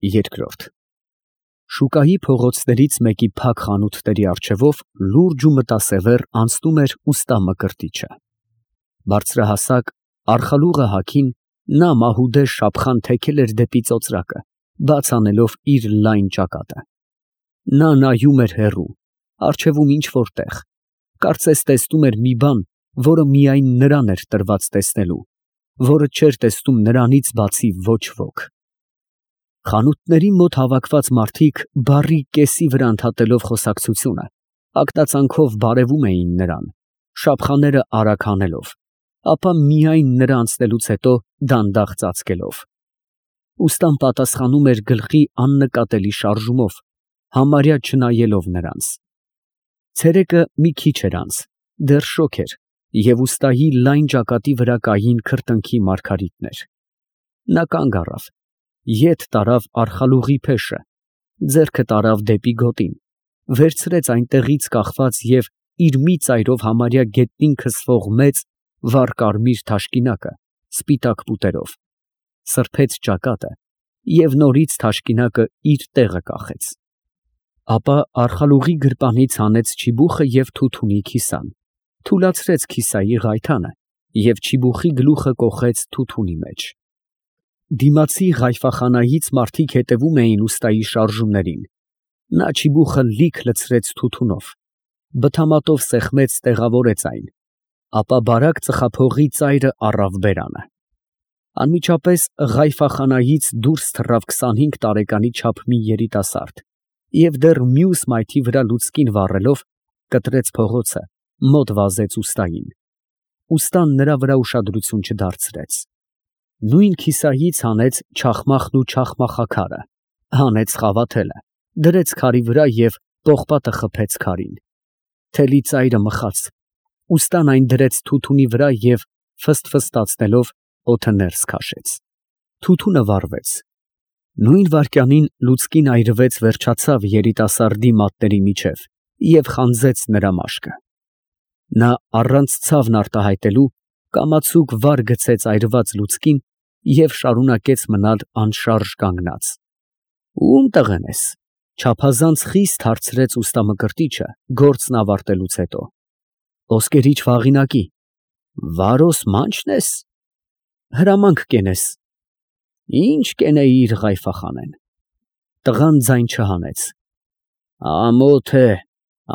Երկրորդ Շուկայի փողոցներից մեկի փակ խանութների առջևով լուրջ ու մտասևեռ անցնում էր ուստա Մկրտիչը։ Բարձրահասակ, արխալուղը հագին, նա մահուդե շափխան թեքել էր դեպի ծոծրակը, բաց անելով իր լայն ճակատը։ Նա նայում էր հեռու, առջևում ինչ֊որ տեղ, կարծես տեսնում էր մի բան, որը միայն նրան էր տրված տեսնելու, որը չէր տեսնում նրանից բացի ոչ ոք։ Խանութների մոտ հավաքված մարդիկ բառի կեսի վրա ընդհատելով խոսակցությունը, ակտածանքով բարևում էին նրան, շափխաները արագ հանելով, ապա միայն նրա անցնելուց հետո դանդաղ ծածկելով։ Ուստան պատասխանում էր գլխի աննկատելի շարժումով, համարյա չնայելով նրանց։ Ցերեկը մի քիչ էր անց, դեռ շոգ էր, և ուստայի լայն ճակատի վրա կային քրտինքի մարգարիտներ։ Նա կանգ առավ, ետ տարավ արխալուղի փեշը, ձեռքը տարավ դեպի գոտին, վերցրեց այնտեղից կախված և իր մի ծայրով համարյա գետնին քսվող մեծ, վառ կարմիր թաշկինակը սպիտակ պուտերով, սրբեց ճակատը և նորից թաշկինակը իր տեղը կախեց։ Ապա արխալուղի գրպանից հանեց չիբուխը և թութունի քիսան, թուլացրեց քիսայի ղայթանը և չիբուխի գլուխը կոխեց թութունի մեջ։ Դիմացի Ղայֆախանայից մարդիկ հետևում էին ուստայի շարժումներին։ Նա չիբուխը լիք լցրեց թութունով, բթամատով սեղմեց, տեղավորեց այն, ապա բարակ ծխափողի ծայրը առավ բերանը։ Անմիջապես Ղայֆախանայից դուրս թռավ 25 տարեկանի չափ մի երիտասարդ և դեռ մյուս մայթի վրա լուցկին վառելով, կտրեց փողոցը, մոտ վազեց ուստային։ Ուստան նրա վրա ուշադրություն չդարձրեց։ Նույն քիսայից հանեց չախմախն ու չախմախաքարը, հանեց խավաթելը, դրեց քարի վրա և պողպատը խփեց քարին։ Թելի ծայրը մխաց, ուստան այն դրեց թութունի վրա և ֆսթֆստացնելով օդը ներս քաշեց։ Թութունը վառվեց։ Նույն վայրկյանին լուցկին այրվեց, վերջացավ երիտասարդի մատների միջև և խանձեց նրա մաշկը։ Նա առանց ցավն արտահայտելու կամացուկ վար գցեց այրված լուցկին և շարունակեց մնալ անշարժ կանգնած։ Ո՞ւմ տղեն ես, ֊ չափազանց խիստ հարցրեց ուստա Մկրտիչը գործն ավարտելուց հետո։ Ոսկերիչ Վաղինակի։ Վարոս մանչն ես։ Հրամանք կենես։ Ինչ կենեիր, Ղայֆախանեն։ Տղան ձայն չհանեց։ Ամոթ է,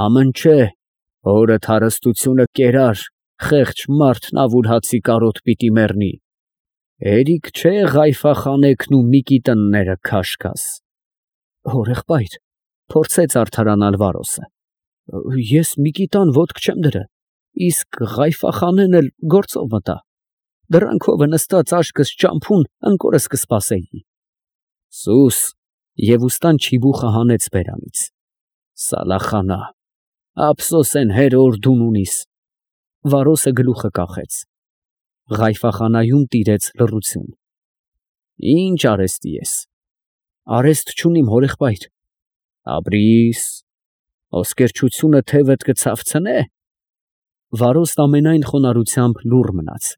ամնչե, հորդ հարստությունը կերար, խեղճ մարդն ավուլհացի կարոտ պիտի մեռնի։ Հերիք չէ Ղայֆախանեքն ու Միկիտնները քաշքաս։ Հորեղբայր, փորձեց արդարանալ Վարոսը, ես Միկիտան ոտք չեմ դրել, իսկ Ղայֆախանեն էլ գործով մտա։ Դռան քովը նստած աչքս ճամփուն ընկորս կսպասեի։ Սուս, և ուստան չիբուխը հանեց բերանից։ Սալախանա, ափսոսեն հեր որ դուն ունիս։ Վարոսը գլուխը կախեց։ Ղայֆախանայում տիրեց լռություն։ Ինչ արեստի ես։ Արեստ չունիմ, հորեղբայր։ Ապրիս, ոսկերչությունը թևդ կցավցնե։ Վարոսն ամենայն խոնարհությամբ լուռ մնաց։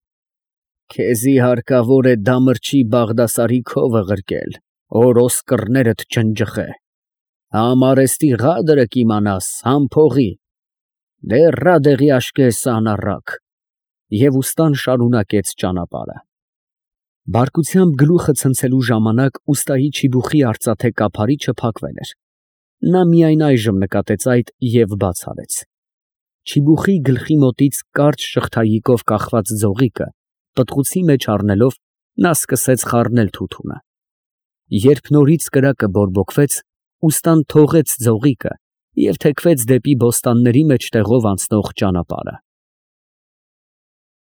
Քեզի հարկավոր է դամրջի Բաղդասարի քովը ղրկել, որ ոսկրներդ չնջխե։ Համ արեստի ղադրը կիմանաս, համ փողի։ Դեռա դեղի աշկես անառակ։ Եվ ուստան շարունակեց ճանապարհը։ Բարկությամբ գլուխը ցնցելու ժամանակ ուստայի չիբուխի արծաթե կափարիչը փակվել էր։ Նա միայն այժմ նկատեց այդ և բաց արեց։ Չիբուխի գլխի մոտից կարճ շղթայիկով կախված ձողիկը պտղուցի մեջ առնելով, նա սկսեց խառնել թութունը։ Երբ նորից կրակը բորբոքվեց, ուստան թողեց ձողիկը և թեքվեց դեպի բոստանների մեջտեղով անցնող ճանապարհը։